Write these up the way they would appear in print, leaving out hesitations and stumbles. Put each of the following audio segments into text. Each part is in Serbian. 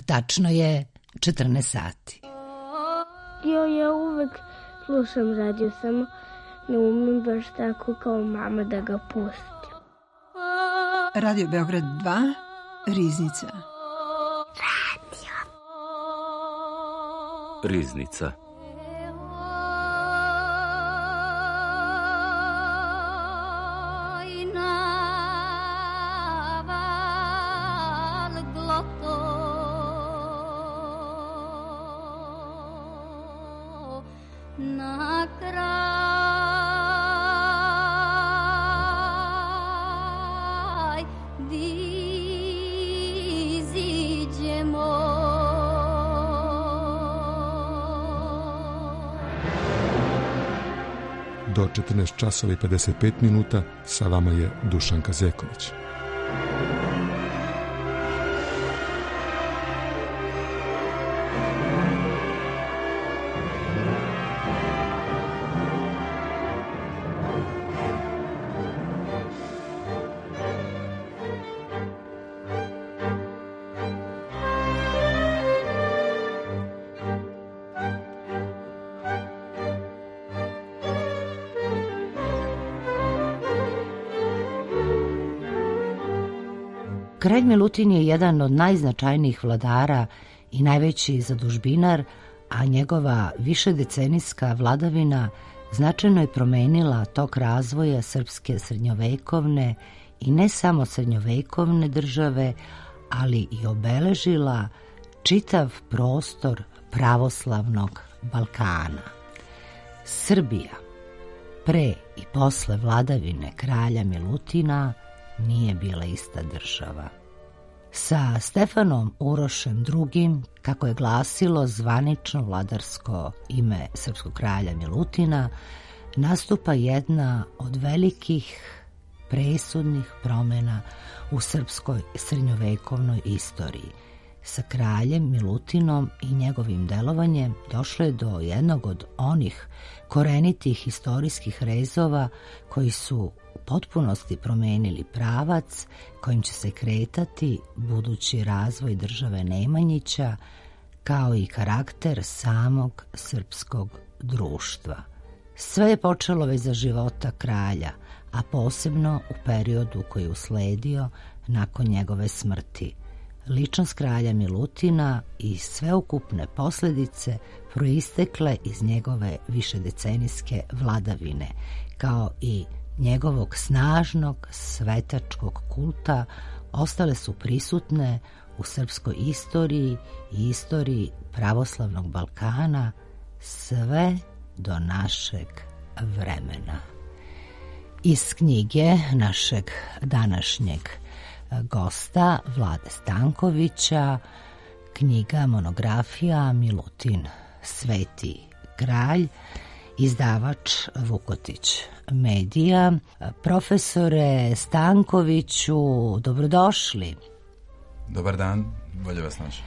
Tačno je 14 sati. Ja uvek slušam radio, samo ne umem baš tako kao mama da ga pustim. Radio Beograd 2, Riznica. Riznica. Do 14 časova i 55 minuta sa vama je Dušanka Zeković. Kralj Milutin je jedan od najznačajnijih vladara i najveći zadužbinar, a njegova višedecenijska vladavina značajno je promenila tok razvoja srpske srednjovekovne i ne samo srednjovekovne države, ali i obeležila čitav prostor pravoslavnog Balkana. Srbija pre i posle vladavine kralja Milutina nije bila ista država. Sa Stefanom Urošem II, kako je glasilo zvanično vladarsko ime srpskog kralja Milutina, nastupa jedna od velikih presudnih promjena u srpskoj srednjovekovnoj istoriji. Sa kraljem Milutinom i njegovim delovanjem došlo je do jednog od onih korenitih istorijskih rezova koji su u potpunosti promenili pravac kojim će se kretati budući razvoj države Nemanjića, kao i karakter samog srpskog društva. Sve je počelo već za života kralja, a posebno u periodu koji je usledio nakon njegove smrti. Ličnost kralja Milutina i sveukupne posljedice proistekle iz njegove višedecenijske vladavine, kao i njegovog snažnog svetačkog kulta, ostale su prisutne u srpskoj istoriji i istoriji pravoslavnog Balkana sve do našeg vremena. Iz knjige našeg današnjeg gosta Vlade Stankovića, knjiga monografija Milutin, Sveti kralj, izdavač Vukotić Medija. Profesore Stankoviću, dobrodošli. Dobar dan, bolje vas našao.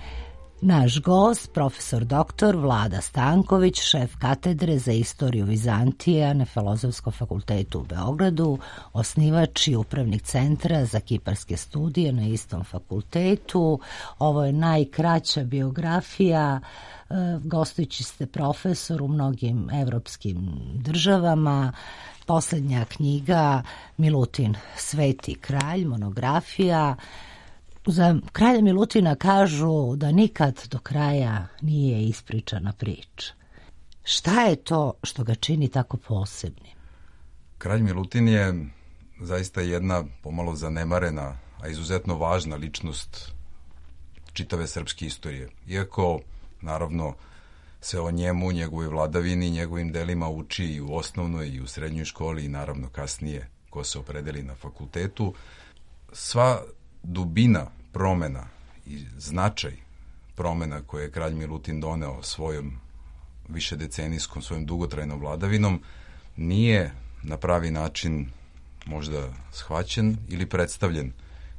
Naš gost, profesor doktor Vlada Stanković, šef katedre za istoriju Vizantije na Filozofskom fakultetu u Beogradu, osnivač i upravnik centra za kiparske studije na istom fakultetu. Ovo je najkraća biografija. Gostujući ste profesor u mnogim evropskim državama. Posljednja knjiga Milutin, Sveti kralj, monografija. Za kralja Milutina kažu da nikad do kraja nije ispričana priča. Šta je to što ga čini tako posebnim? Kralj Milutin je zaista jedna pomalo zanemarena, a izuzetno važna ličnost čitave srpske istorije. Iako, naravno, se o njemu, njegovoj vladavini, njegovim delima uči i u osnovnoj i u srednjoj školi i naravno kasnije ko se opredeli na fakultetu, sva dubina promena i značaj promena koje je kralj Milutin doneo svojom višedecenijskom, svojom dugotrajnom vladavinom nije na pravi način možda shvaćen ili predstavljen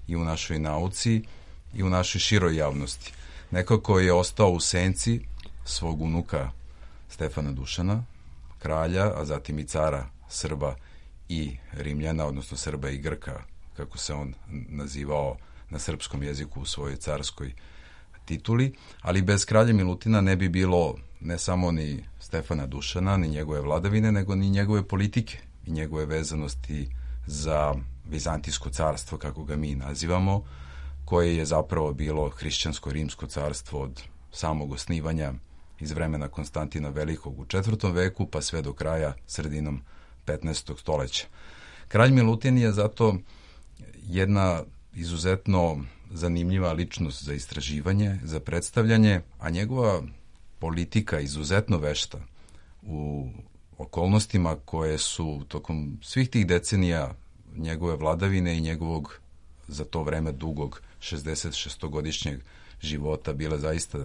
i u našoj nauci i u našoj široj javnosti. Nekako je ostao u senci svog unuka Stefana Dušana, kralja, a zatim i cara Srba i Rimljana, odnosno Srba i Grka, kako se on nazivao na srpskom jeziku u svojoj carskoj tituli, ali bez kralja Milutina ne bi bilo ne samo ni Stefana Dušana, ni njegove vladavine, nego ni njegove politike i njegove vezanosti za Vizantijsko carstvo, kako ga mi nazivamo, koje je zapravo bilo hrišćansko-rimsko carstvo od samog osnivanja iz vremena Konstantina Velikog u 4. veku, pa sve do kraja sredinom 15. stoljeća. Kralj Milutin je zato jedna izuzetno zanimljiva ličnost za istraživanje, za predstavljanje, a njegova politika izuzetno vešta u okolnostima koje su tokom svih tih decenija njegove vladavine i njegovog za to vreme dugog 66-godišnjeg života bile zaista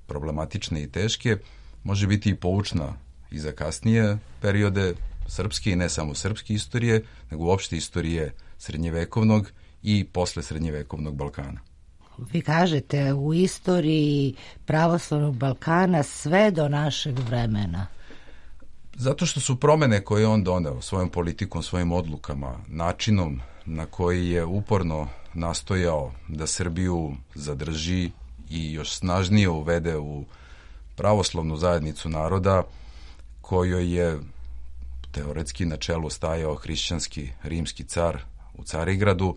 problematične i teške, može biti i poučna i za kasnije periode srpske i ne samo srpske istorije, nego uopšte istorije srednjevekovnog i posle srednjevekovnog Balkana. Vi kažete u istoriji pravoslavnog Balkana sve do našeg vremena. Zato što su promene koje on doneo svojom politikom, svojim odlukama, načinom na koji je uporno nastojao da Srbiju zadrži i još snažnije uvede u pravoslavnu zajednicu naroda, kojoj je teoretski na čelu stajao hrišćanski rimski car u Carigradu,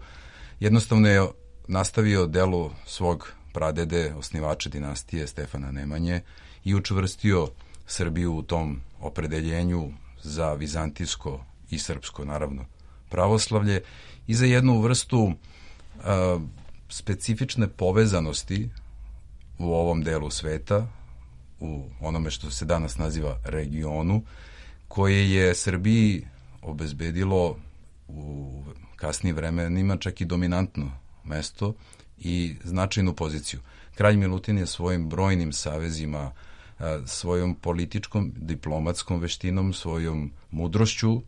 jednostavno je nastavio delo svog pradede, osnivača dinastije Stefana Nemanje i učvrstio Srbiju u tom opredeljenju za vizantijsko i srpsko, naravno, pravoslavlje i za jednu vrstu specifične povezanosti u ovom delu sveta, u onome što se danas naziva regionu, koje je Srbiji obezbedilo u kasnijim vremenima čak i dominantno mesto i značajnu poziciju. Kralj Milutin je svojim brojnim savezima, svojom političkom, diplomatskom veštinom, svojom mudrošću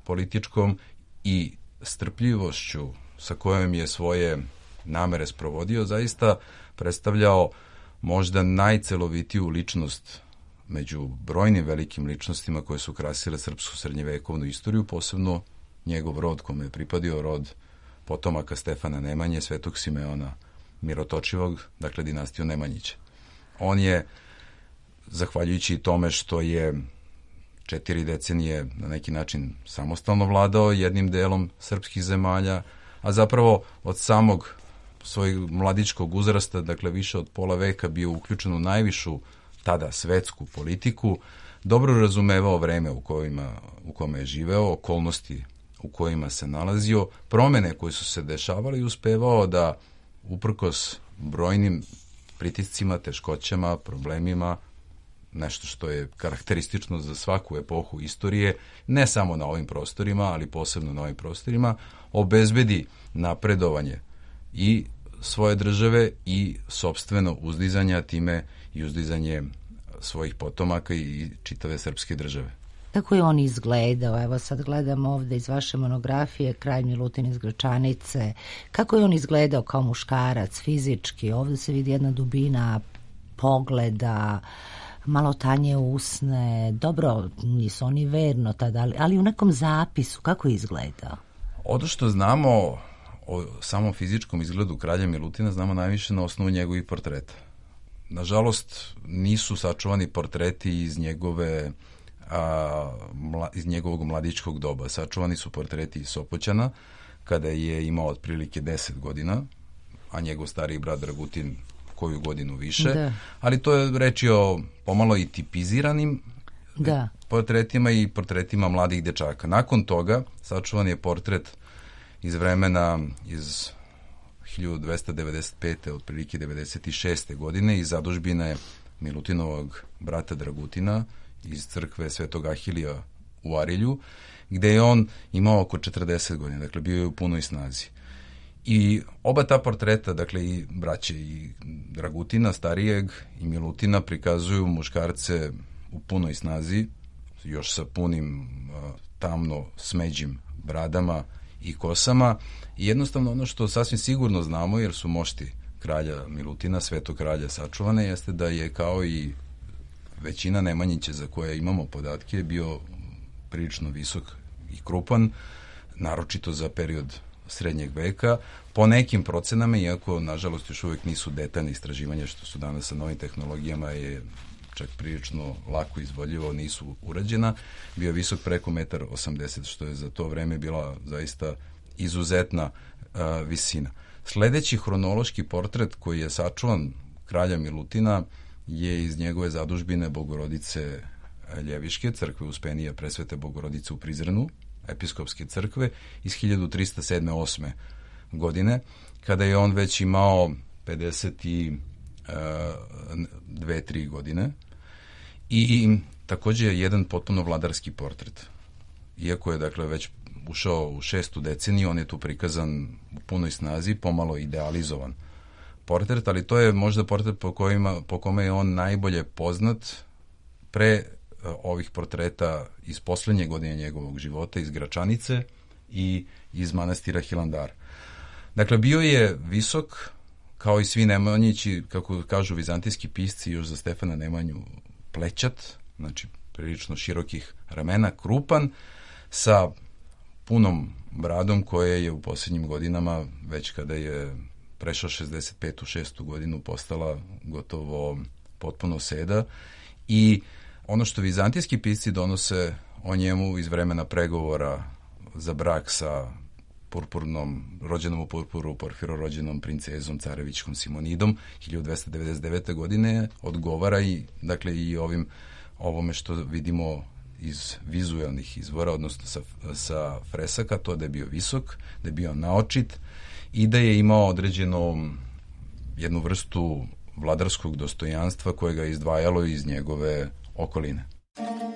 političkom i strpljivošću sa kojom je svoje namere sprovodio, zaista predstavljao možda najcelovitiju ličnost među brojnim velikim ličnostima koje su krasile srpsku srednjevekovnu istoriju, posebno njegov rod kome je pripadio, rod potomaka Stefana Nemanje, Svetog Simeona Mirotočivog, dakle dinastiju Nemanjića. On je, zahvaljujući tome što je 4 decenije na neki način samostalno vladao jednim delom srpskih zemalja, a zapravo od samog svojeg mladičkog uzrasta, dakle više od pola veka, bio uključen u najvišu tada svetsku politiku, dobro razumevao vreme u kome je živeo, okolnosti u kojima se nalazio, promene koje su se dešavale i uspevao da uprkos brojnim pritiscima, teškoćama, problemima, nešto što je karakteristično za svaku epohu istorije, ne samo na ovim prostorima, ali posebno na ovim prostorima, obezbedi napredovanje i svoje države i sopstveno uzdizanja, time i uzdizanje svojih potomaka i čitave srpske države. Kako je on izgledao? Evo sad gledam ovde iz vaše monografije Kralj Milutin iz Gračanice. Kako je on izgledao kao muškarac, fizički? Ovde se vidi jedna dubina pogleda, malo tanje usne. Dobro, nisu oni verno tada, ali u nekom zapisu kako je izgledao? Ono što znamo o samom fizičkom izgledu kralja Milutina znamo najviše na osnovu njegovih portreta. Nažalost, nisu sačuvani portreti iz njegovog mladičkog doba. Sačuvani su portreti iz Sopoćana, kada je imao otprilike 10 godina, a njegov stariji brat Dragutin koju godinu više. Da. Ali to je reči o pomalo i tipiziranim portretima i portretima mladih dečaka. Nakon toga sačuvan je portret iz vremena iz 1295. otprilike 96. godine iz zadužbine Milutinovog brata Dragutina iz crkve Svetog Ahilija u Arilju, gde je on imao oko 40 godina, dakle bio je u punoj snazi. I oba ta portreta, dakle i braće i Dragutina starijeg i Milutina, prikazuju muškarce u punoj snazi, još sa punim tamno smeđim bradama i kosama, i jednostavno ono što sasvim sigurno znamo, jer su mošti kralja Milutina, Svetog kralja sačuvane, jeste da je kao i većina Nemanjića za koje imamo podatke bio prilično visok i krupan, naročito za period srednjeg veka. Po nekim procenama, iako nažalost još uvek nisu detaljne istraživanja što su danas sa novim tehnologijama je čak prilično lako izvodljivo, nisu urađena, bio visok preko 1,80 m, što je za to vreme bila zaista izuzetna visina. Sledeći hronološki portret koji je sačuvan kralja Milutina je iz njegove zadužbine Bogorodice Ljeviške, crkve Uspenija Presvete Bogorodice u Prizrenu, episkopske crkve, iz 1307-8. godine, kada je on već imao 52-3 godine i takođe je jedan potpuno vladarski portret. Iako je dakle već ušao u 6. deceniju, on je tu prikazan u punoj snazi, pomalo idealizovan portret, ali to je možda portret po kome je on najbolje poznat pre ovih portreta iz poslednje godine njegovog života, iz Gračanice i iz manastira Hilandara. Dakle, bio je visok, kao i svi Nemanjići, kako kažu vizantijski pisci, još za Stefana Nemanju plećat, znači prilično širokih ramena, krupan, sa punom bradom koje je u posljednjim godinama, već kada je prešao 65. 6. godinu, postala gotovo potpuno seda. I ono što vizantijski pisci donose o njemu iz vremena pregovora za brak sa rođenom u purpuru, Porfiro rođenom princezom carevićkom Simonidom 1299. godine odgovara i dakle i ovome što vidimo iz vizuelnih izvora, odnosno sa fresaka, to da je bio visok, da je bio naočit i da je imao određenu jednu vrstu vladarskog dostojanstva koje ga je izdvajalo iz njegove okoline. Oh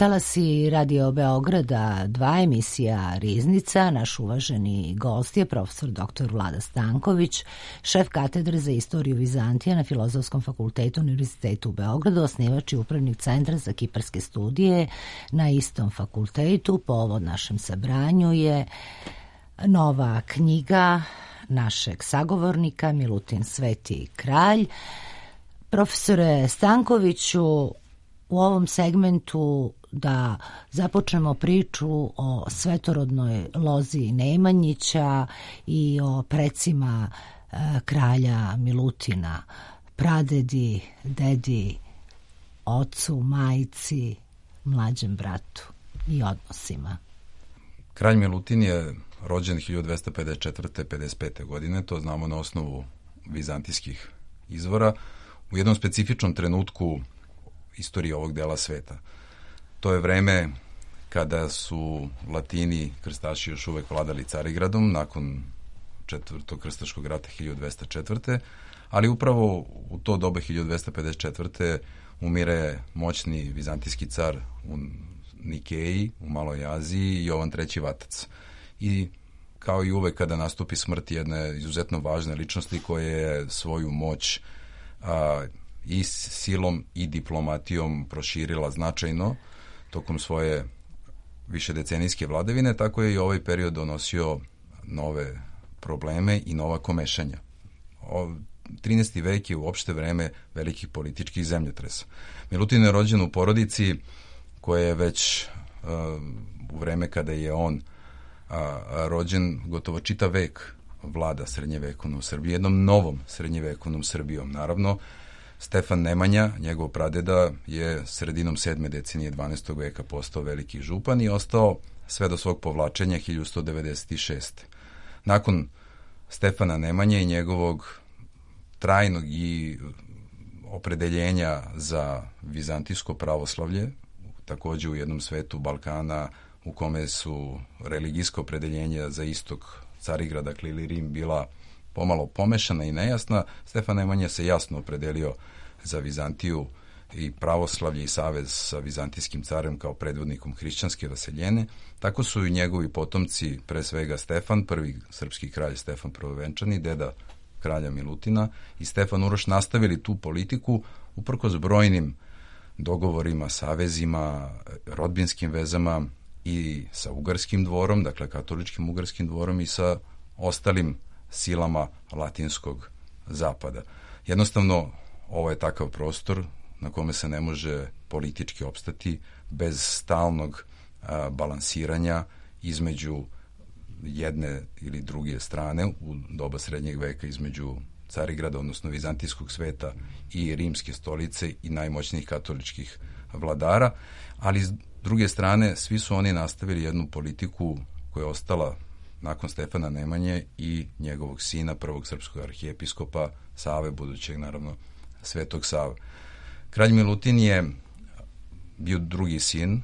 Talasi Radio Beograda 2, emisija Riznica. Naš uvaženi gost je profesor dr. Vlada Stanković, šef katedre za istoriju Vizantije na Filozofskom fakultetu Univerzitetu u Beogradu, osnivač i upravnik Centra za kiparske studije na istom fakultetu. Povod našem sabranju je nova knjiga našeg sagovornika Milutin Sveti kralj. Profesore Stankoviću, u ovom segmentu da započnemo priču o svetorodnoj lozi Nemanjića i o precima kralja Milutina, pradedi, dedi, ocu, majci, mlađem bratu i odnosima. Kralj Milutin je rođen 1254. 55. godine, to znamo na osnovu vizantijskih izvora, u jednom specifičnom trenutku istorije ovog dela sveta. To je vreme kada su Latini, krstaši, još uvek vladali Carigradom nakon Četvrtog krstaškog rata 1204. Ali upravo u to doba 1254. umire moćni vizantijski car u Nikeji, u Maloj Aziji, Jovan III. Vatac. I kao i uvek kada nastupi smrt jedne izuzetno važne ličnosti koja je svoju moć i silom i diplomatijom proširila značajno tokom svoje višedecenijske vladavine, tako je i ovaj period donosio nove probleme i nova komešanja. 13. vek je uopšte vreme velikih političkih zemljotresa. Milutin je rođen u porodici koja je već u vreme kada je on rođen gotovo čitav vek vlada srednjevekovnom Srbiji, jednom novom srednjevekovnom Srbijom. Naravno, Stefan Nemanja, njegov pradeda, je sredinom 7. decenije 12. veka postao veliki župan i ostao sve do svog povlačenja 1196. Nakon Stefana Nemanje i njegovog trajnog i opredeljenja za vizantijsko pravoslavlje, takođe u jednom svetu Balkana u kome su religijsko opredeljenja za istok Carigrad, dakle ili Rim, bila pomalo pomešana i nejasna, Stefan Nemanja se jasno opredelio za Vizantiju i pravoslavlje i savez sa vizantijskim carem kao predvodnikom hrišćanske vaseljene. Tako su i njegovi potomci, pre svega Stefan, prvi srpski kralj Stefan Prvovenčani, deda kralja Milutina, i Stefan Uroš nastavili tu politiku uprkos brojnim dogovorima, savezima, rodbinskim vezama i sa ugarskim dvorom, dakle katoličkim ugarskim dvorom, i sa ostalim silama latinskog zapada. Jednostavno, ovo je takav prostor na kome se ne može politički opstati bez stalnog balansiranja između jedne ili druge strane u doba srednjeg veka, između Carigrada, odnosno vizantijskog sveta, i rimske stolice i najmoćnijih katoličkih vladara, ali s druge strane svi su oni nastavili jednu politiku koja je ostala nakon Stefana Nemanje i njegovog sina, prvog srpskog arhijepiskopa Save, budućeg naravno Svetog Save. Kralj Milutin je bio drugi sin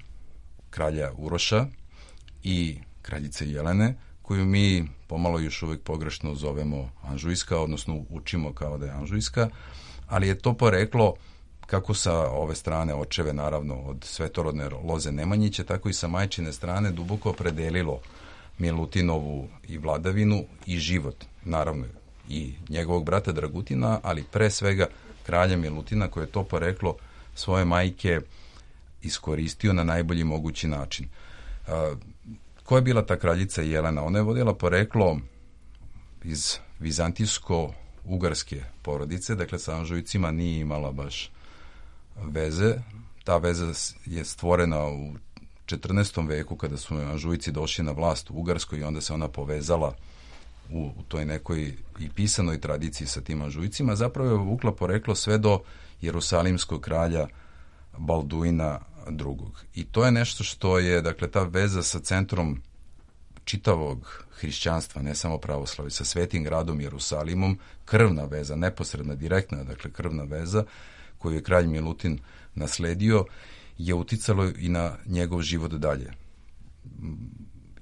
kralja Uroša i kraljice Jelene, koju mi pomalo još uvek pogrešno zovemo Anžujska, odnosno učimo kao da je Anžujska, ali je to poreklo kako sa ove strane očeve, naravno, od svetorodne loze Nemanjića, tako i sa majčine strane duboko opredelilo Milutinovu i vladavinu i život, naravno i njegovog brata Dragutina, ali pre svega kralja Milutina, koje je to poreklo svoje majke iskoristio na najbolji mogući način. Ko je bila ta kraljica Jelena? Ona je vodila poreklo iz vizantijsko-ugarske porodice, dakle sa Anžujcima nije imala baš veze. Ta veza je stvorena u 14. veku kada su Anžujci došli na vlast u Ugarskoj i onda se ona povezala u toj nekoj i pisanoj tradiciji sa tim Anžujcima. Zapravo je vukla poreklo sve do jerusalimskog kralja Balduina II. I to je nešto što je, dakle, ta veza sa centrom čitavog hrišćanstva, ne samo pravoslavlja, sa svetim gradom Jerusalimom, krvna veza, neposredna, direktna, dakle krvna veza koju je kralj Milutin nasledio, je uticalo i na njegov život dalje,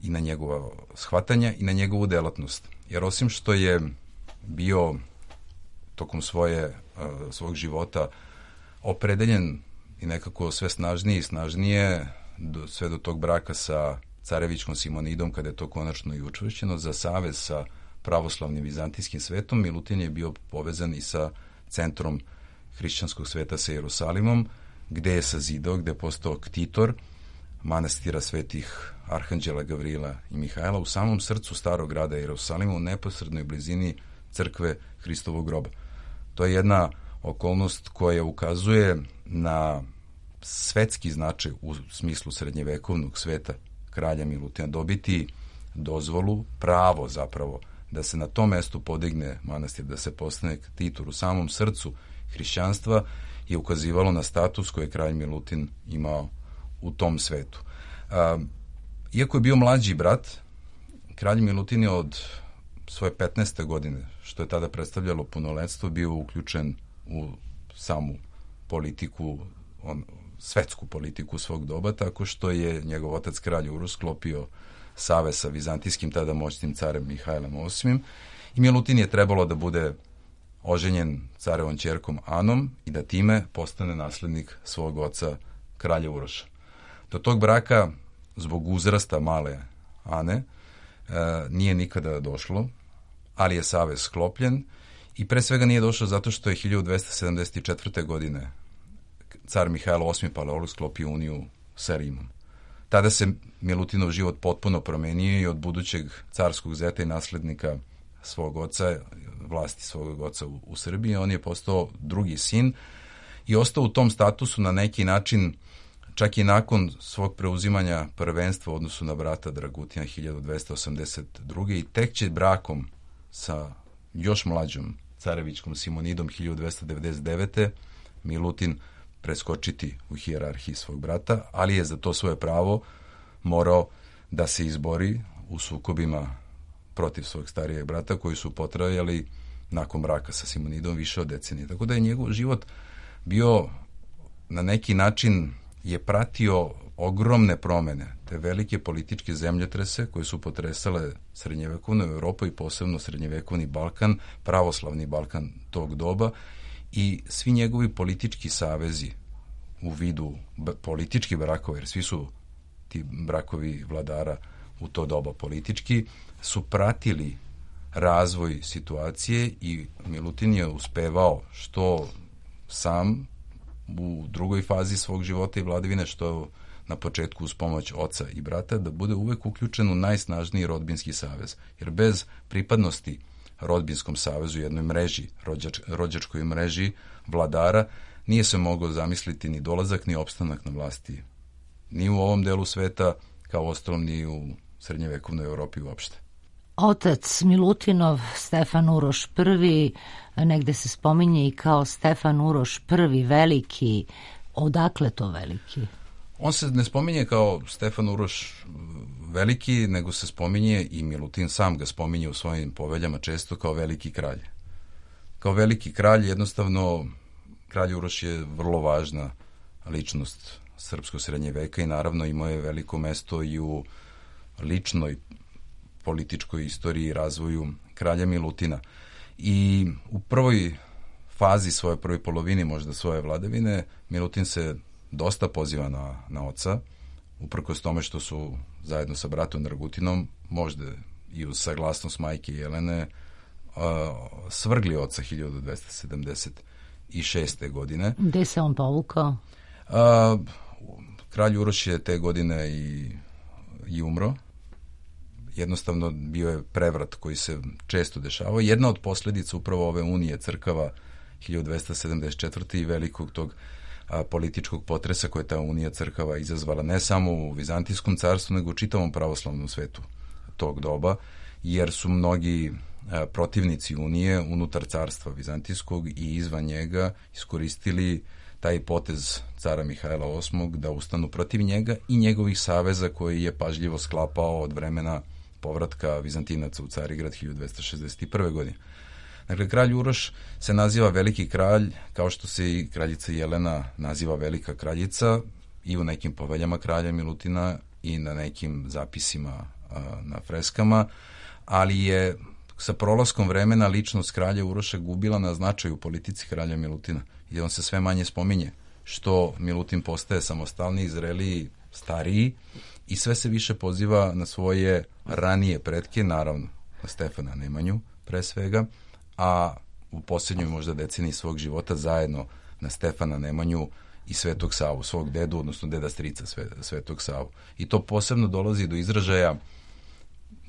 i na njegova shvatanja i na njegovu delatnost. Jer osim što je bio tokom svog života opredeljen i nekako sve snažnije i snažnije sve do tog braka sa carevićkom Simonidom, kada je to konačno i učvršćeno, za savez sa pravoslavnim vizantijskim svetom. Milutin je bio povezan i sa centrom hrišćanskog sveta sa Jerusalimom, gde je sazidao, gde je postao ktitor manastira svetih Arhanđela Gavrila i Mihajla u samom srcu starog grada Jerusalima, u neposrednoj blizini crkve Hristovog groba. To je jedna okolnost koja ukazuje na svetski značaj u smislu srednjevekovnog sveta kralja Milutina. Dobiti dozvolu, pravo zapravo, da se na tom mestu podigne manastir, da se postane ktitor u samom srcu hrišćanstva, je ukazivalo na status koji je kralj Milutin imao u tom svetu. Iako je bio mlađi brat, kralj Milutin je od svoje 15. godine, što je tada predstavljalo punoletstvo, bio uključen u samu politiku, svetsku politiku svog doba, tako što je njegov otac kralj Uroš sklopio savez sa vizantijskim tada moćnim carem Mihajlom VIII. I Milutin je trebalo da bude oženjen carevom ćerkom Anom i da time postane naslednik svog oca kralja Uroša. Do tog braka, zbog uzrasta male Ane, nije nikada došlo, ali je savez sklopljen i pre svega nije došlo zato što je 1274. godine car Mihajlo VIII Paleolog sklopio uniju sa Rimom. Tada se Milutinov život potpuno promenio i od budućeg carskog zeta i naslednika svog oca, vlasti svog oca u Srbiji, on je postao drugi sin i ostao u tom statusu na neki način čak i nakon svog preuzimanja prvenstva u odnosu na brata Dragutina 1282. i tek će brakom sa još mlađom carevićkom Simonidom 1299. Milutin preskočiti u hijerarhiji svog brata, ali je za to svoje pravo morao da se izbori u sukobima protiv svog starijeg brata, koji su potrajali nakon braka sa Simonidom više od decenije. Tako da je njegov život bio na neki način je pratio ogromne promene, te velike političke zemljotrese koje su potresale srednjevekovnu Evropu i posebno srednjevekovni Balkan, pravoslavni Balkan tog doba, i svi njegovi politički savezi u vidu političkih brakova, jer svi su ti brakovi vladara u to doba politički, su pratili razvoj situacije i Milutin je uspevao što sam u drugoj fazi svog života i vladavine, što na početku uz pomoć oca i brata, da bude uvek uključen u najsnažniji rodbinski savez. Jer bez pripadnosti rodbinskom savezu, jednoj mreži, rođačkoj mreži vladara, nije se mogao zamisliti ni dolazak, ni opstanak na vlasti. Ni u ovom delu sveta, kao ostalom ni u srednjevekovnoj Evropi uopšte. Otac Milutinov, Stefan Uroš I, negde se spominje i kao Stefan Uroš I veliki. Odakle to veliki? On se ne spominje kao Stefan Uroš veliki, nego se spominje, i Milutin sam ga spominje u svojim poveljama često, kao veliki kralj. Kao veliki kralj, jednostavno, kralj Uroš je vrlo važna ličnost srpskog srednje veka i naravno imao je veliko mesto i u ličnoj političkoj istoriji i razvoju kralja Milutina. I u prvoj fazi svoje, prvoj polovini možda svoje vladavine, Milutin se dosta poziva na oca, uprkos tome što su zajedno sa bratom Dragutinom, možda i uz saglasnost majke Jelene, svrgli oca 1276. godine. Gde se on povukao? Kralj Uroš je te godine i umro. Jednostavno bio je prevrat koji se često dešavao. Jedna od posljedica upravo ove unije crkava 1274. i velikog tog političkog potresa koje ta unija crkava izazvala ne samo u Vizantijskom carstvu, nego u čitavom pravoslavnom svetu tog doba, jer su mnogi protivnici unije unutar carstva Vizantijskog i izvan njega iskoristili taj potez cara Mihajla VIII da ustanu protiv njega i njegovih saveza koji je pažljivo sklapao od vremena povratka Vizantinaca u Carigrad 1261. godine. Dakle, kralj Uroš se naziva veliki kralj, kao što se i kraljica Jelena naziva velika kraljica, i u nekim poveljama kralja Milutina i na nekim zapisima na freskama, ali je sa prolaskom vremena ličnost kralja Uroša gubila na značaju u politici kralja Milutina i on se sve manje spominje, što Milutin postaje samostalniji, zreliji, stariji i sve se više poziva na svoje ranije pretke, naravno na Stefana Nemanju pre svega, a u posljednjoj možda deceniji svog života zajedno na Stefana Nemanju i Svetog Savu, svog dedu, odnosno deda strica Svetog Savu. I to posebno dolazi do izražaja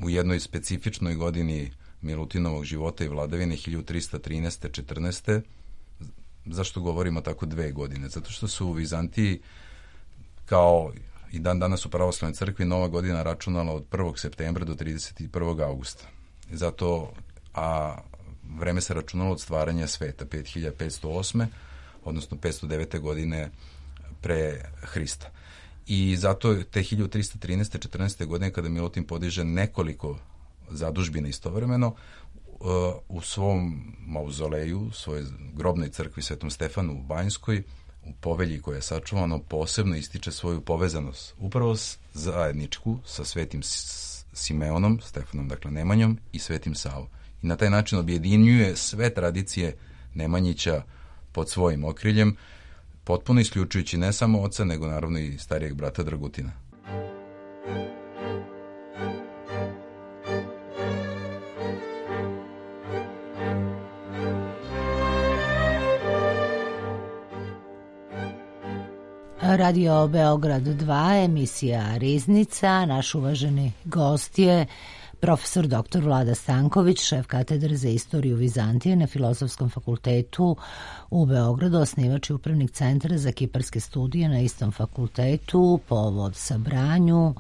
u jednoj specifičnoj godini Milutinovog života i vladavine 1313. 14. Zašto govorimo tako 2 godine? Zato što su u Vizantiji, kao i dan danas u pravoslavnoj crkvi, Nova godina računala od 1. septembra do 31. augusta. Zato, a vreme se računalo od stvaranja sveta, 5508. odnosno 509. godine pre Hrista. I zato te 1313. 14. godine, kada Milutin podiže nekoliko zadužbina istovremeno, u svom mauzoleju, svojoj grobnoj crkvi Svetom Stefanu u Banjskoj, u povelji koja je sačuvano, posebno ističe svoju povezanost upravo zajedničku sa Svetim Simeonom, Stefanom, dakle Nemanjom, i Svetim Savom. I na taj način objedinjuje sve tradicije Nemanjića pod svojim okriljem, potpuno isključujući ne samo oca, nego naravno i starijeg brata Dragutina. Radio Beograd 2, emisija Riznica. Naš uvaženi gost je profesor dr. Vlada Stanković, šef katedre za istoriju Vizantije na Filozofskom fakultetu u Beogradu, osnivač i upravnik centra za kiparske studije na istom fakultetu, povod sabranju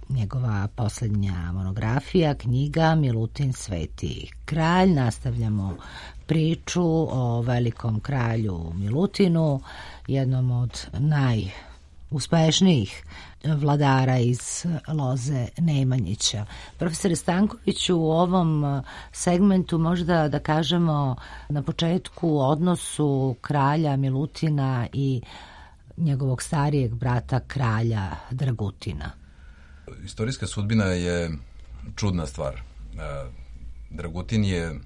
njegova posljednja monografija, knjiga Milutin Sveti kralj. Nastavljamo priču o velikom kralju Milutinu, jednom od najuspešnijih vladara iz loze Nemanjića. Profesore Stankoviću, u ovom segmentu možda da kažemo na početku o odnosu kralja Milutina i njegovog starijeg brata kralja Dragutina. Istorijska sudbina je čudna stvar. Dragutin je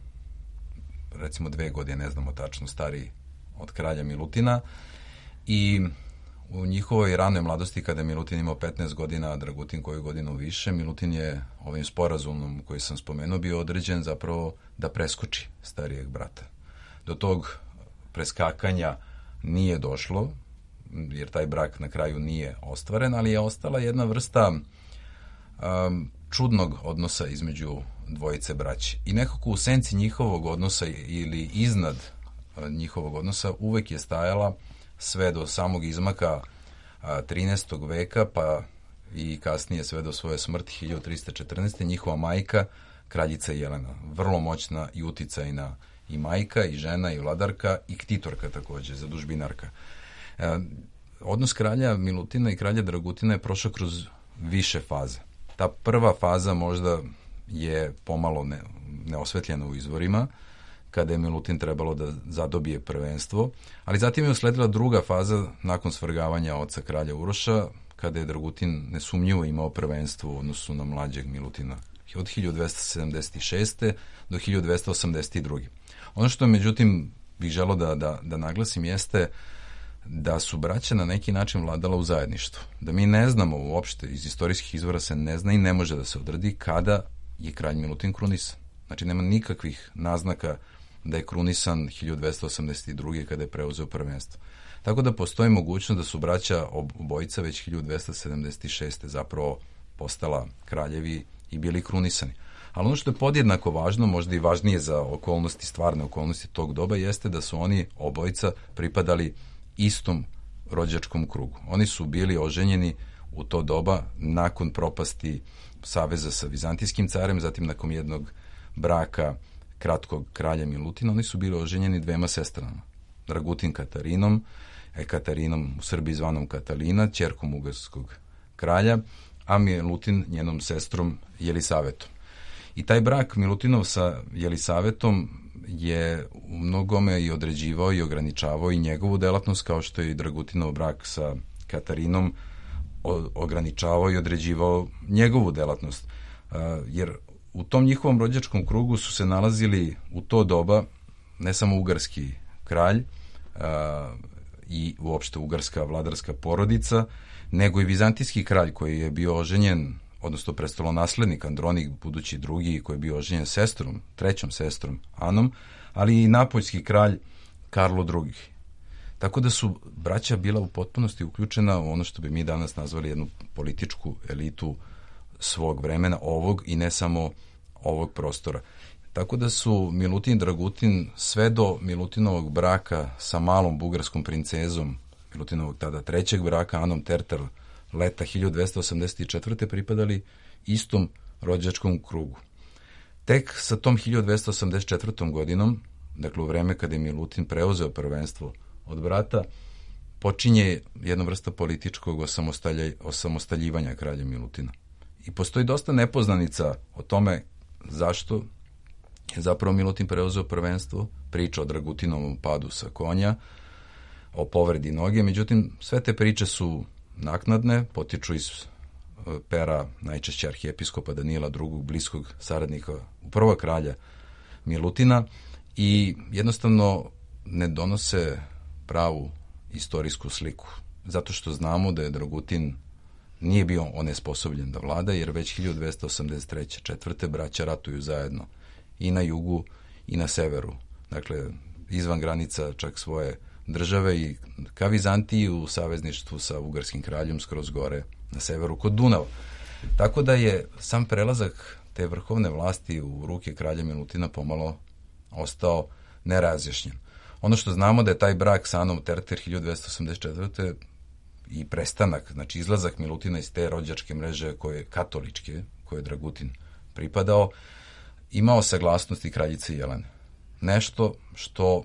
recimo 2 godine, ne znamo tačno, stariji od kralja Milutina i u njihovoj ranoj mladosti, kada je Milutin imao 15 godina, a Dragutin koju godinu više, Milutin je ovim sporazumom koji sam spomenuo bio određen zapravo da preskoči starijeg brata. Do tog preskakanja nije došlo, jer taj brak na kraju nije ostvaren, ali je ostala jedna vrsta čudnog odnosa između dvojice braće. I nekako u senci njihovog odnosa ili iznad njihovog odnosa uvek je stajala sve do samog izmaka 13. veka, pa i kasnije sve do svoje smrti 1314. njihova majka, kraljica Jelena. Vrlo moćna i uticajna i majka, i žena, i vladarka, i ktitorka takođe, zadužbinarka. Odnos kralja Milutina i kralja Dragutina je prošao kroz više faze. Ta prva faza možda je pomalo neosvetljena u izvorima, kada je Milutin trebalo da zadobije prvenstvo, ali zatim je usledila druga faza nakon svrgavanja oca kralja Uroša, kada je Dragutin nesumnjivo imao prvenstvo u odnosu na mlađeg Milutina od 1276. do 1282. Ono što međutim bih želeo da naglasim jeste da su braća na neki način vladala u zajedništvu. Da mi ne znamo uopšte, iz istorijskih izvora se ne zna i ne može da se odredi kada je kralj Milutin krunisan. Znači nema nikakvih naznaka da je krunisan 1282. kada je preuzeo prvenstvo. Tako da postoji mogućnost da su braća obojica već 1276. zapravo postala kraljevi i bili krunisani. Ali ono što je podjednako važno, možda i važnije za okolnosti, stvarne okolnosti tog doba, jeste da su oni obojica pripadali istom rođačkom krugu. Oni su bili oženjeni u to doba nakon propasti saveza sa Vizantijskim carem, zatim nakon jednog braka kratkog kralja Milutina, oni su bili oženjeni 2 sestrama. Dragutin Katarinom, Katarinom u Srbiji zvanom Katalina, ćerkom ugarskog kralja, a Milutin njenom sestrom Jelisavetom. I taj brak Milutinov sa Jelisavetom je u mnogome i određivao i ograničavao i njegovu delatnost, kao što je i Dragutinov brak sa Katarinom ograničavao i određivao njegovu delatnost. Jer u tom njihovom rođačkom krugu su se nalazili u to doba ne samo ugarski kralj i uopšte ugarska vladarska porodica, nego i vizantijski kralj koji je bio oženjen, odnosno prestolonaslednik Andronik, budući drugi, koji je bio oženjen sestrom, trećom sestrom Anom, ali i napoljski kralj Karlo II. Tako da su braća bila u potpunosti uključena u ono što bi mi danas nazvali jednu političku elitu svog vremena, ovog i ne samo ovog prostora. Tako da su Milutin i Dragutin sve do Milutinovog braka sa malom bugarskom princezom, Milutinovog tada trećeg braka, Anom Terter, leta 1284. pripadali istom rođačkom krugu. Tek sa tom 1284. godinom, dakle u vreme kada je Milutin preuzeo prvenstvo od brata, počinje jedna vrsta političkog osamostaljivanja kralja Milutina. I postoji dosta nepoznanica o tome zašto je zapravo Milutin preuzeo prvenstvo, priča o Dragutinovom padu sa konja, o povredi noge, međutim sve te priče su naknadne, potiču iz pera najčešće arhijepiskopa Danila II, bliskog saradnika prvog kralja Milutina, i jednostavno ne donose pravu istorijsku sliku. Zato što znamo da je Dragutin nije bio onesposobljen da vlada, jer već 1283. četvrte braća ratuju zajedno i na jugu i na severu. Dakle, izvan granica čak svoje države i ka Vizantiji u savezništvu sa ugarskim kraljem skroz gore na severu kod Dunava. Tako da je sam prelazak te vrhovne vlasti u ruke kralja Milutina pomalo ostao nerazjašnjen. Ono što znamo da je taj brak sa Anom Terter 1284. i prestanak, znači izlazak Milutina iz te rođačke mreže koje katoličke, koje je Dragutin pripadao, imao saglasnosti kraljice Jelene. Nešto što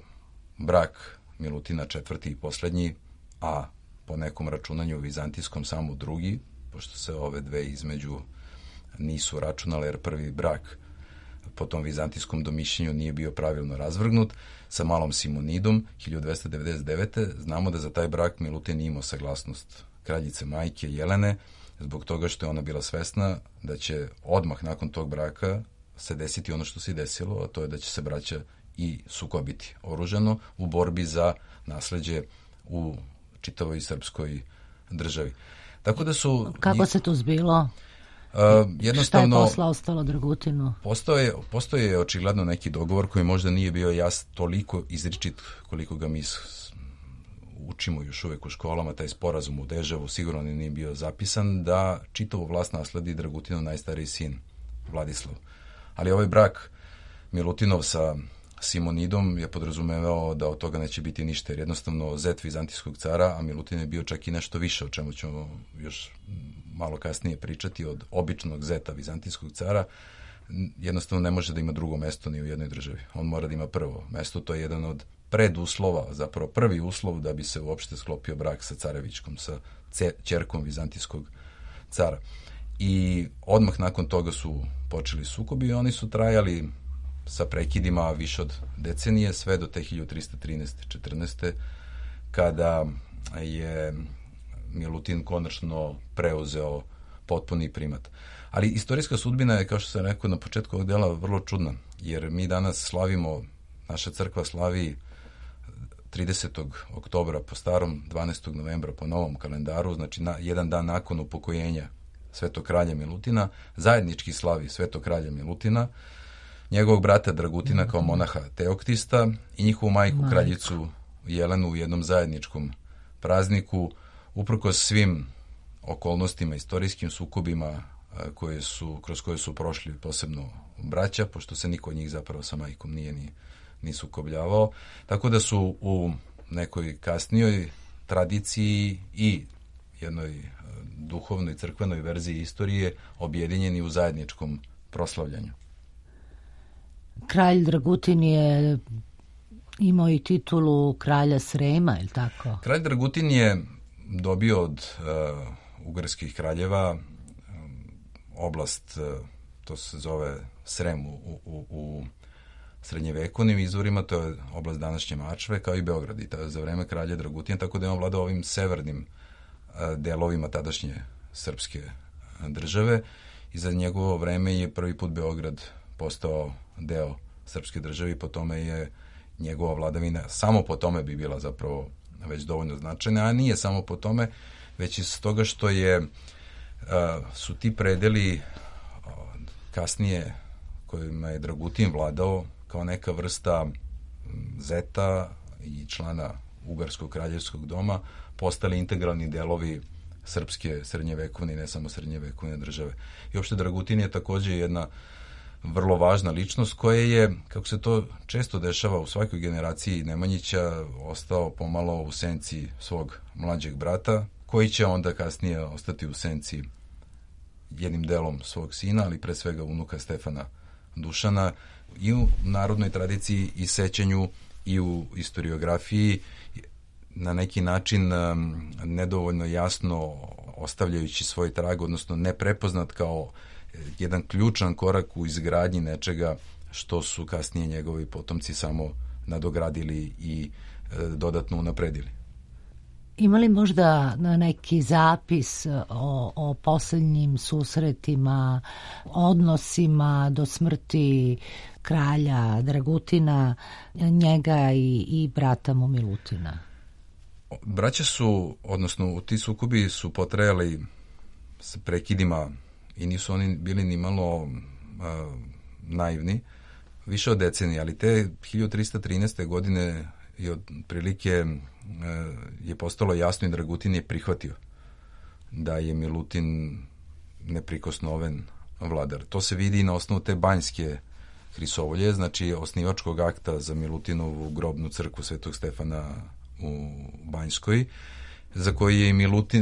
brak Milutina četvrti i poslednji, a po nekom računanju vizantijskom samo drugi, pošto se ove dve između nisu računale, jer prvi brak po tom vizantijskom domišljenju nije bio pravilno razvrgnut, sa malom Simonidom 1299. Znamo da za taj brak Milutin imao saglasnost kraljice majke Jelene, zbog toga što je ona bila svesna da će odmah nakon tog braka se desiti ono što se i desilo, a to je da će se braća i sukobiti oružano u borbi za nasleđe u čitavoj srpskoj državi. Tako da su... Kako se to zbilo? Jednostavno, šta je posla ostalo Dragutinu? Postoje očigledno neki dogovor koji možda nije bio toliko izričit koliko ga mi učimo još uvek u školama, taj sporazum u Deževu sigurno nije bio zapisan, da čitavu vlast nasledi Dragutinov najstariji sin Vladislav. Ali ovaj brak Milutinov sa Simonidom je podrazumevao da od toga neće biti ništa, jer jednostavno zet vizantijskog cara, a Milutin je bio čak i nešto više, o čemu ćemo još malo kasnije pričati, od običnog zeta vizantijskog cara, jednostavno ne može da ima drugo mesto ni u jednoj državi. On mora da ima prvo mesto, to je jedan od preduslova, zapravo prvi uslov da bi se uopšte sklopio brak sa carevićkom, sa ćerkom vizantijskog cara. I odmah nakon toga su počeli sukobi i oni su trajali sa prekidima više od decenije, sve do te 1313-14. kada je Milutin konačno preuzeo potpuni primat. Ali istorijska sudbina je, kao što sam rekao na početku ovog dela, vrlo čudna, jer mi danas slavimo, naša crkva slavi 30. oktobra po starom, 12. novembra po novom kalendaru, znači jedan dan nakon upokojenja Svetog kralja Milutina, zajednički slavi Svetog kralja Milutina, njegovog brata Dragutina kao monaha Teoktista i njihovu majku kraljicu Jelenu u jednom zajedničkom prazniku, uprkos svim okolnostima, istorijskim sukobima kroz koje su prošli posebno braća, pošto se niko od njih zapravo sa majkom nije ni sukobljavao. Tako da su u nekoj kasnijoj tradiciji i jednoj duhovnoj crkvenoj verziji istorije objedinjeni u zajedničkom proslavljanju. Kralj Dragutin je imao i titulu kralja Srema, je li tako? Kralj Dragutin je dobio od ugarskih kraljeva oblast, to se zove Srem u srednjevekovnim izvorima, to je oblast današnje Mačve, kao i Beograd, i za vreme kralja Dragutina, tako da je on vladao ovim severnim delovima tadašnje srpske države, i za njegovo vreme je prvi put Beograd postao deo srpske države, i po tome je njegova vladavina, samo po tome bi bila zapravo već dovoljno značajna, a nije samo po tome, već iz toga što su ti predeli kasnije kojima je Dragutin vladao kao neka vrsta zeta i člana Ugarskog kraljevskog doma postali integralni delovi srpske srednjevekovne i ne samo srednjevekovne države. I uopšte Dragutin je takođe jedna vrlo važna ličnost koja je, kako se to često dešava u svakoj generaciji Nemanjića, ostao pomalo u senci svog mlađeg brata, koji će onda kasnije ostati u senci jednim delom svog sina, ali pre svega unuka Stefana Dušana, i u narodnoj tradiciji i sećanju i u historiografiji, na neki način nedovoljno jasno ostavljajući svoj trag, odnosno neprepoznat kao jedan ključan korak u izgradnji nečega što su kasnije njegovi potomci samo nadogradili i dodatno unapredili. Ima li možda neki zapis o poslednjim susretima, odnosima do smrti kralja Dragutina, njega i brata mu Milutina? Braća su, odnosno ti sukobi su potrajali s prekidima i nisu oni bili ni malo naivni, više od decenije, ali te 1313. godine i otprilike je postalo jasno i Dragutin je prihvatio da je Milutin neprikosnoven vladar. To se vidi i na osnovu te banjske Hrisovolje, znači osnivačkog akta za Milutinovu grobnu crkvu Svetog Stefana u Banjskoj, za koji je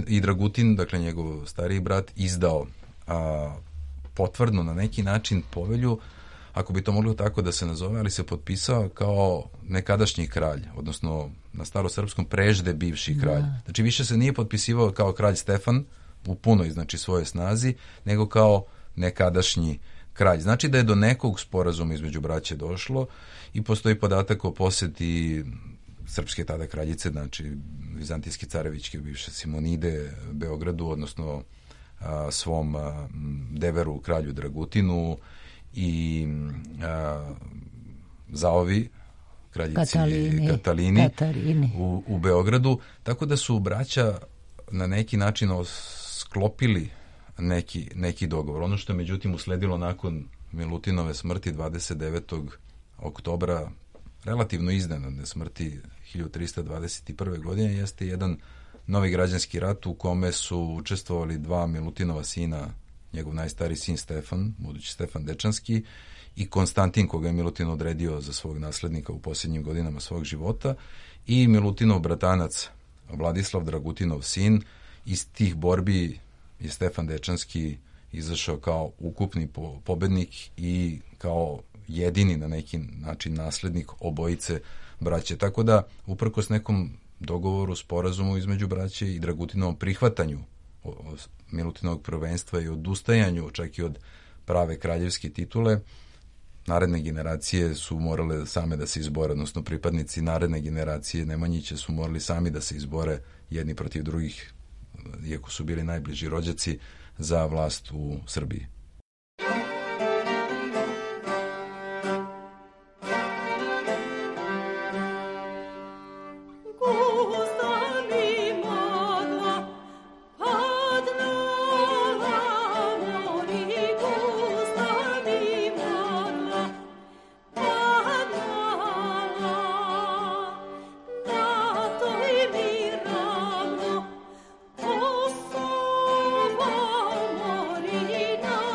i Dragutin, dakle njegov stariji brat, izdao potvrdno na neki način povelju, ako bi to moglo tako da se nazove, ali se potpisao kao nekadašnji kralj, odnosno na starosrpskom prežde bivši kralj. Znači više se nije potpisivao kao kralj Stefan u punoj, znači svoje snazi, nego kao nekadašnji kralj. Znači da je do nekog sporazuma između braće došlo i postoji podatak o poseti srpske tada kraljice, znači vizantijske carevićke bivše Simonide Beogradu, odnosno svom deveru kralju Dragutinu i zaovi kraljici Katalini. U Beogradu, tako da su braća na neki način sklopili neki dogovor. Ono što je međutim usledilo nakon Milutinove smrti 29. oktobra, relativno iznenadne smrti 1321. godine, jeste jedan novi građanski rat u kome su učestvovali dva Milutinova sina, njegov najstariji sin Stefan, budući Stefan Dečanski, i Konstantin, koga je Milutin odredio za svog naslednika u posljednjim godinama svog života, i Milutinov bratanac Vladislav, Dragutinov sin. Iz tih borbi je Stefan Dečanski izašao kao ukupni pobednik i kao jedini na neki način naslednik obojice braće. Tako da, uprkos nekom dogovoru, sporazumu između braće i Dragutinovom prihvatanju Milutinovog prvenstva i odustajanju čak i od prave kraljevske titule, naredne generacije su morale same da se izbore, odnosno pripadnici naredne generacije Nemanjića su morali sami da se izbore jedni protiv drugih, iako su bili najbliži rođaci, za vlast u Srbiji. No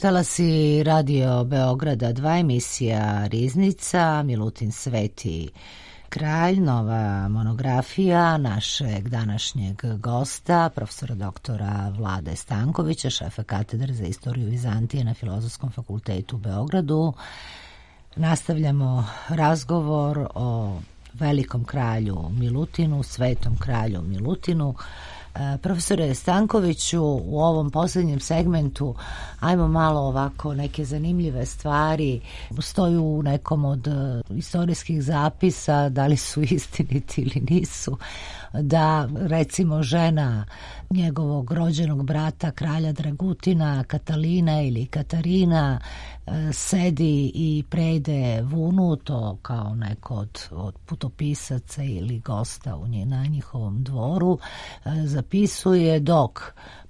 Talasi Radio Beograda 2, emisija Riznica, Milutin Sveti kralj, nova monografija našeg današnjeg gosta, profesora doktora Vlade Stankovića, šefa katedre za istoriju Vizantije na Filozofskom fakultetu u Beogradu. Nastavljamo razgovor o velikom kralju Milutinu, svetom kralju Milutinu. Profesore Stankoviću, u ovom posljednjem segmentu ajmo malo ovako neke zanimljive stvari. Stoju u nekom od istorijskih zapisa, da li su istiniti ili nisu, da recimo žena njegovog rođenog brata kralja Dragutina, Katalina ili Katarina, sedi i prede vunu, to kao neko od putopisaca ili gosta na njihovom dvoru, zapisuje, dok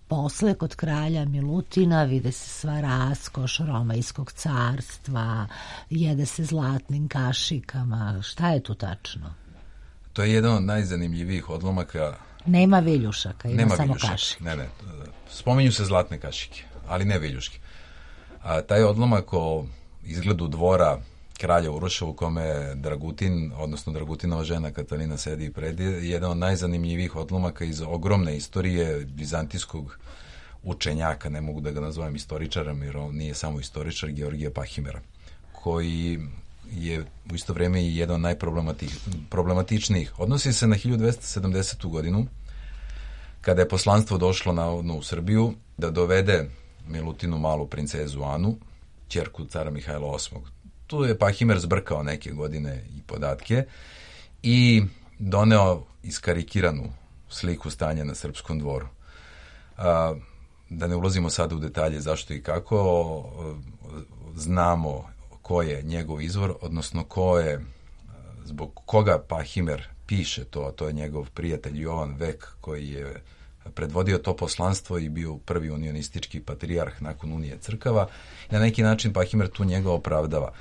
posle kod kralja Milutina vide se sva raskoš Romajskog carstva, jede se zlatnim kašikama. Šta je tu tačno? To je jedan od najzanimljivijih odlomaka. Nema viljušaka, ima samo kašike. Ne. Spominju se zlatne kašike, ali ne viljuške. A taj odlomak o izgledu dvora kralja Uroša u kome Dragutin, odnosno Dragutinova žena Katalina sedi i predi, je jedan od najzanimljivijih odlomaka iz ogromne istorije vizantijskog učenjaka, ne mogu da ga nazovem istoričarom, jer on nije samo istoričar, Georgija Pahimera, koji je u isto vrijeme i jedan od najproblematičnijih. Odnosi se na 1270. godinu, kada je poslanstvo došlo navodno u Srbiju da dovede Milutinu malu princezu Anu, ćerku cara Mihajla VIII. Tu je Pahimer zbrkao neke godine i podatke i doneo iskarikiranu sliku stanja na srpskom dvoru. Da ne ulazimo sada u detalje zašto i kako, znamo ko je njegov izvor, odnosno zbog koga Pahimer piše to, a to je njegov prijatelj Jovan Vek, koji je predvodio to poslanstvo i bio prvi unionistički patrijarh nakon Unije crkava. I na neki način Pahimer tu njega opravdava.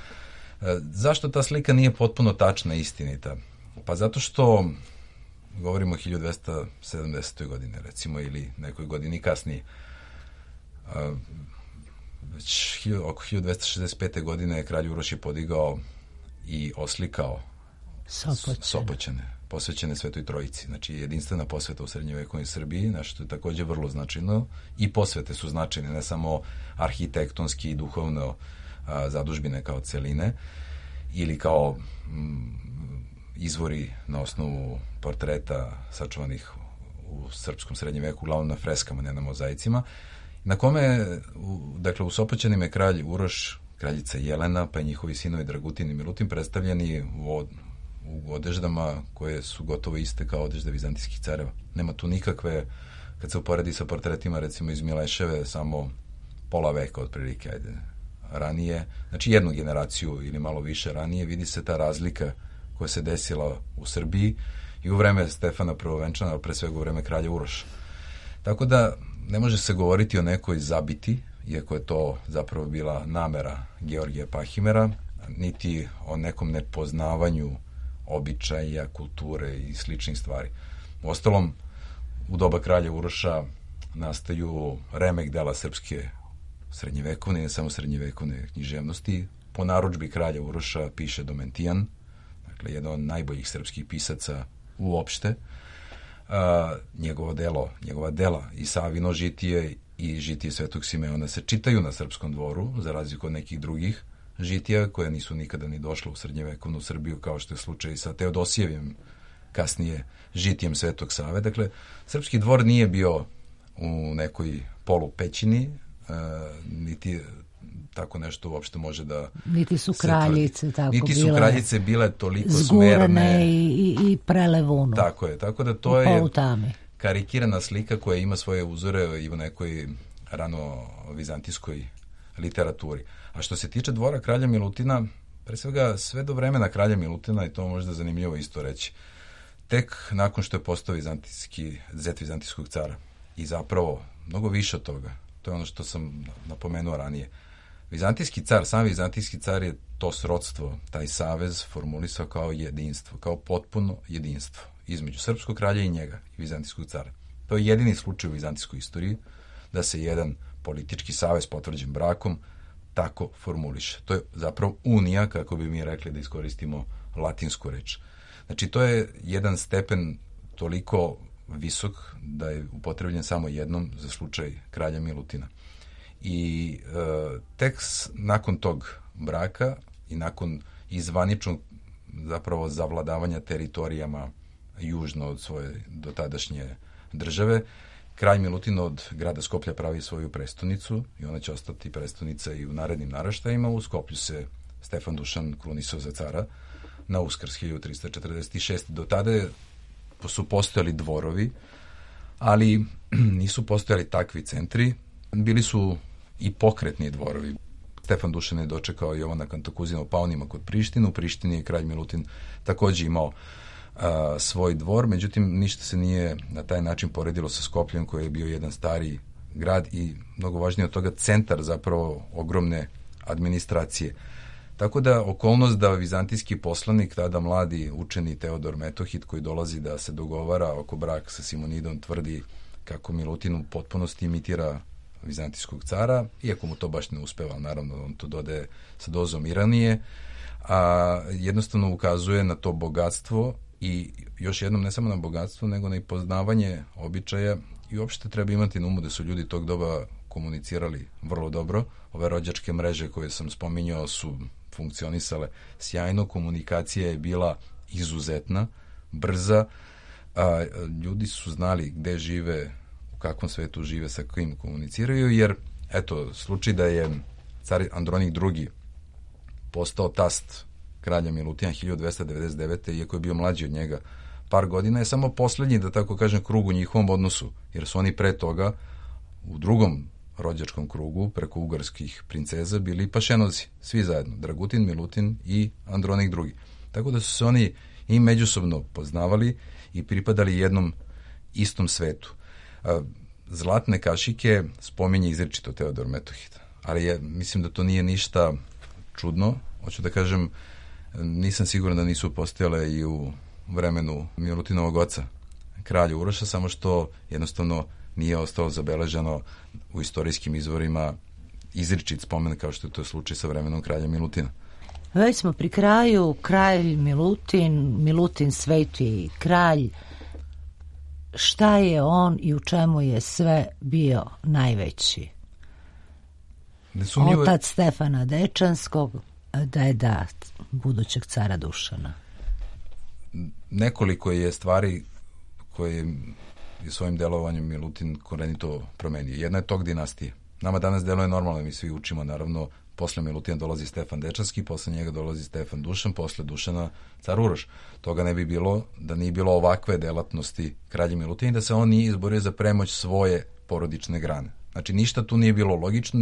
Zašto ta slika nije potpuno tačna i istinita? Pa zato što govorimo o 1270. godine, recimo, ili nekoj godini kasnije. Već oko 1265. godine je kralj Uroš je podigao i oslikao Sopoćane, posvećene Svetoj Trojici. Znači, jedinstvena posveta u srednjovekovnoj Srbiji, nešto je također vrlo značajno. I posvete su značajne, ne samo arhitektonski i duhovno zadužbine kao celine, ili kao izvori na osnovu portreta sačuvanih u srpskom srednjem veku, uglavnom na freskama, ne na mozaicima, na kome, dakle, u Sopoćanima je kralj Uroš, kraljica Jelena, pa i njihovi sinovi Dragutin i Milutin predstavljeni u odeždama koje su gotovo iste kao odežde vizantijskih careva. Nema tu nikakve, kad se uporedi sa portretima recimo iz Mileševe, samo pola veka otprilike, ranije, znači jednu generaciju ili malo više ranije, vidi se ta razlika koja se desila u Srbiji i u vreme Stefana Prvovenčana, ali pre svega u vreme kralja Uroša. Tako da ne može se govoriti o nekoj zabiti, iako je to zapravo bila namera Georgija Pahimera, niti o nekom nepoznavanju običaja, kulture i sličnih stvari. Uostalom, u doba kralja Uroša nastaju remek dela srpske srednjevekovne, ne samo srednjevekovne književnosti. Po narudžbi kralja Uroša piše Domentijan, dakle, jedan od najboljih srpskih pisaca uopšte. Njegova dela i Savino žitije i žitije Svetog Simeona se čitaju na srpskom dvoru, za razliku od nekih drugih žitija koje nisu nikada ni došle u srednjevekovnu Srbiju, kao što je slučaj sa Teodosijevim, kasnije žitijem Svetog Save. Dakle, srpski dvor nije bio u nekoj polupećini, niti tako nešto uopšte može da... Niti su kraljice tako niti su kraljice bile toliko smerne i prelevunu. Tako je, tako da to je karikirana slika koja ima svoje uzore i u nekoj rano vizantijskoj literaturi. A što se tiče dvora kralja Milutina, pre svega sve do vremena kralja Milutina, i to možda zanimljivo isto reći, tek nakon što je postao zet vizantijskog cara. I zapravo mnogo više od toga. To je ono što sam napomenuo ranije. Sam vizantijski car je to srodstvo, taj savez formulisao kao jedinstvo, kao potpuno jedinstvo između srpskog kralja i njega, i vizantijskog cara. To je jedini slučaj u vizantijskoj istoriji da se jedan politički savez potvrđen brakom tako formuliše. To je zapravo unija, kako bi mi rekli da iskoristimo latinsku reč. Znači, to je jedan stepen toliko visok da je upotrebljen samo jednom za slučaj kralja Milutina. I tek nakon tog braka i nakon izvaničnog zapravo zavladavanja teritorijama južno od svoje dotadašnje države, kralj Milutin od grada Skoplja pravi svoju prestonicu i ona će ostati prestonica i u narednim naraštajima. U Skoplju se Stefan Dušan krunisao za cara na Uskrs 1346. Do tada su postojali dvorovi, ali nisu postojali takvi centri. Bili su i pokretni dvorovi. Stefan Dušan je dočekao Jovana Kantakuzina u Paunima kod Prištine. U Prištini je kralj Milutin takođe imao svoj dvor, međutim ništa se nije na taj način poredilo sa Skopljem, koji je bio jedan stari grad i mnogo važnije od toga centar zapravo ogromne administracije. Tako da okolnost da vizantijski poslanik, tada mladi učeni Teodor Metohid, koji dolazi da se dogovara oko braka sa Simonidom, tvrdi kako Milutin u potpunosti imitira vizantijskog cara, iako mu to baš ne uspeva, naravno on to dodaje sa dozom ironije, a jednostavno ukazuje na to bogatstvo i još jednom ne samo na bogatstvo, nego na i poznavanje običaja i uopšte treba imati na umu da su ljudi tog doba komunicirali vrlo dobro. Ove rođačke mreže koje sam spominjao su funkcionisale sjajno, komunikacija je bila izuzetna, brza, ljudi su znali gde žive, u kakvom svetu žive, sa kojim komuniciraju, jer eto, slučaj da je car Andronik II postao tast kralja Milutina 1299. iako je bio mlađi od njega par godina, je samo poslednji, da tako kažem, krug u njihovom odnosu, jer su oni pre toga u drugom rođačkom krugu preko ugarskih princeza bili pašenozi, svi zajedno, Dragutin, Milutin i Andronik II. Tako da su se oni i međusobno poznavali i pripadali jednom istom svetu. Zlatne kašike spominje izričito Teodor Metohid, ali mislim da to nije ništa čudno. Hoću da kažem, nisam siguran da nisu postojale i u vremenu Milutinovog oca, kralja Uroša, samo što jednostavno nije ostalo zabeleženo u istorijskim izvorima izričit spomen kao što je to slučaj sa vremenom kralja Milutina. Već smo pri kraju, kralj Milutin sveti kralj. Šta je on i u čemu je sve bio najveći? Nesumnjivo... Otac Stefana Dečanskog, deda budućeg cara Dušana. Nekoliko je stvari koje je svojim delovanjem Milutin korenito promenio. Jedna je tog dinastije. Nama danas deluje normalno, mi svi učimo, naravno, posle Milutina dolazi Stefan Dečanski, posle njega dolazi Stefan Dušan, posle Dušana car Uroš. Toga ne bi bilo da nije bilo ovakve delatnosti kralja Milutina i da se on nije izborio za premoć svoje porodične grane. Znači, ništa tu nije bilo logično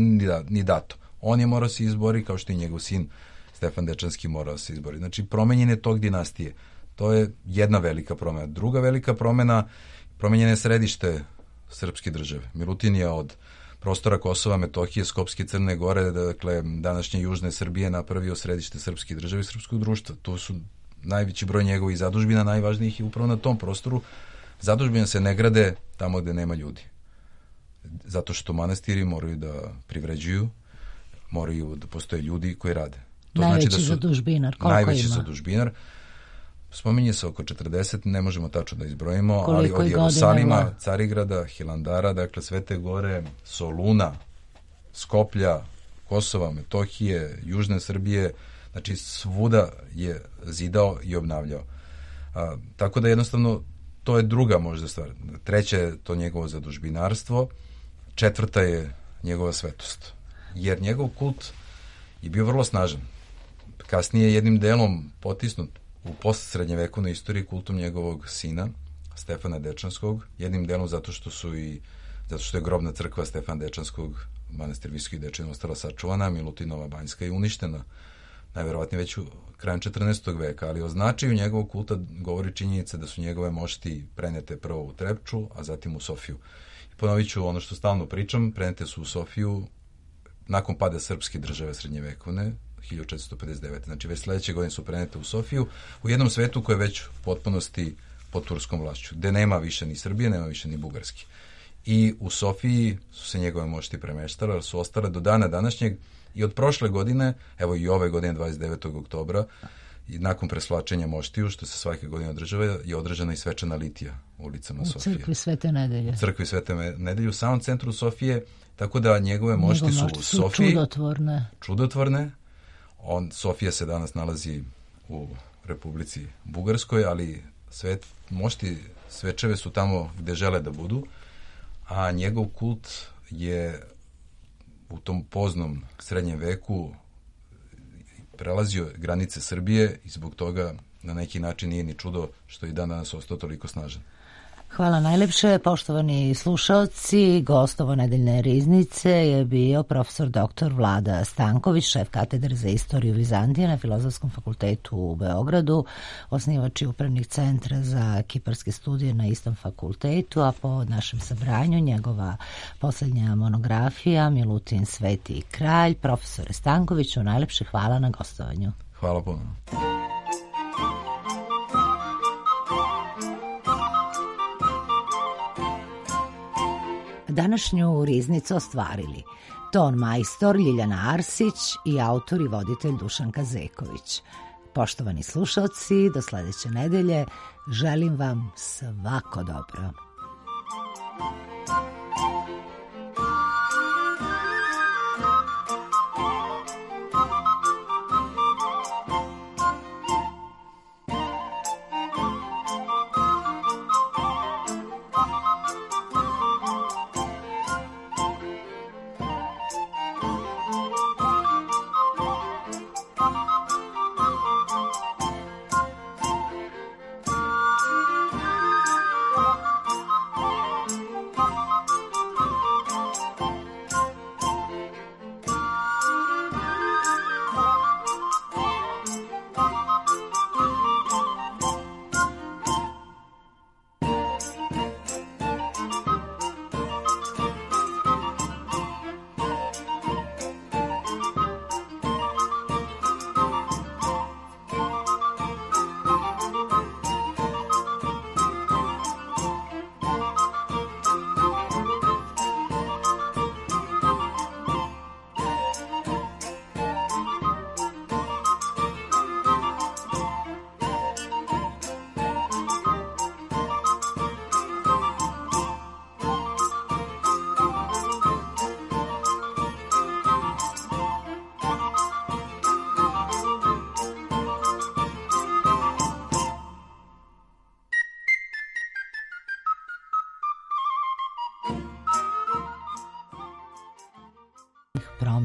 ni dato. On je morao se izbori, kao što i njegov sin Stefan Dečanski morao se izbori. Znači, promenjen je tog dinastije. To je jedna velika promena. Druga velika promena, promenjeno je središte srpske države. Milutin je od prostora Kosova, Metohije, Skopske, Crne Gore, dakle, današnje južne Srbije, napravio središte srpske države i srpskog društva. Tu su najveći broj njegovih zadužbina, najvažnijih i upravo na tom prostoru. Zadužbine se ne grade tamo gde nema ljudi. Zato što manastiri moraju da privređuju, moraju da postoje ljudi koji rade. To najveći znači da su zadužbinar, koliko najveći ima? Zadužbinar. Spominje se oko 40, ne možemo tačno da izbrojimo, koliko ali od Jerusalima, Carigrada, Hilandara, dakle Svete Gore, Soluna, Skoplja, Kosova, Metohije, Južne Srbije, znači svuda je zidao i obnavljao. Tako da jednostavno to je druga možda stvar. Treća je to njegovo zadužbinarstvo, četvrta je njegova svetost. Jer njegov kult je bio vrlo snažan. Kasnije je jednim delom potisnut u postsrednjevekovnoj istoriji kultom njegovog sina, Stefana Dečanskog, jednim delom zato što je grobna crkva Stefana Dečanskog, manastir Visoki Dečan, ostala sačuvana, Milutinova Banjska je uništena, najverovatnije već krajem 14. veka, ali o značaju njegovog kulta govori činjenica da su njegove mošti prenete prvo u Trepču, a zatim u Sofiju. I ponovit ću ono što stalno pričam, prenete su u Sofiju nakon pada srpske države srednjevekovne, 1459. Znači, već sledeće godine su prenete u Sofiju, u jednom svetu koji je već u potpunosti pod turskom vlašću, gde nema više ni Srbije, nema više ni Bugarske. i u Sofiji su se njegove mošti premeštale, ali su ostale do dana današnjeg i od prošle godine, evo i ove godine 29. oktobra, i nakon preslačenja moštiju, što se svake godine održava, je održana i svečana litija u ulicama Sofije. U crkvi Svete Nedelje. U crkvi Svete Nedelje, u samom centru Sofije, tako da njegove mošti su u Sofiji. Čudotvorne. Sofija se danas nalazi u Republici Bugarskoj, ali mošti svečeve su tamo gde žele da budu, a njegov kult je u tom poznom srednjem veku prelazio granice Srbije i zbog toga na neki način nije ni čudo što je i dan danas ostao toliko snažan. Hvala najlepše, poštovani slušaoci. Gost ovo nedeljne riznice je bio profesor dr. Vlada Stanković, šef katedre za istoriju Vizantije na Filozofskom fakultetu u Beogradu, osnivač i upravnik centra za kiparske studije na istom fakultetu, a po našem sabranju njegova poslednja monografija Milutin Sveti kralj. Profesore Stankoviću, najlepše hvala na gostovanju. Hvala puno. Današnju riznicu ostvarili ton majstor Ljiljana Arsić i autor i voditelj Dušan Kazeković. Poštovani slušalci, do sledeće nedelje želim vam svako dobro. Promena.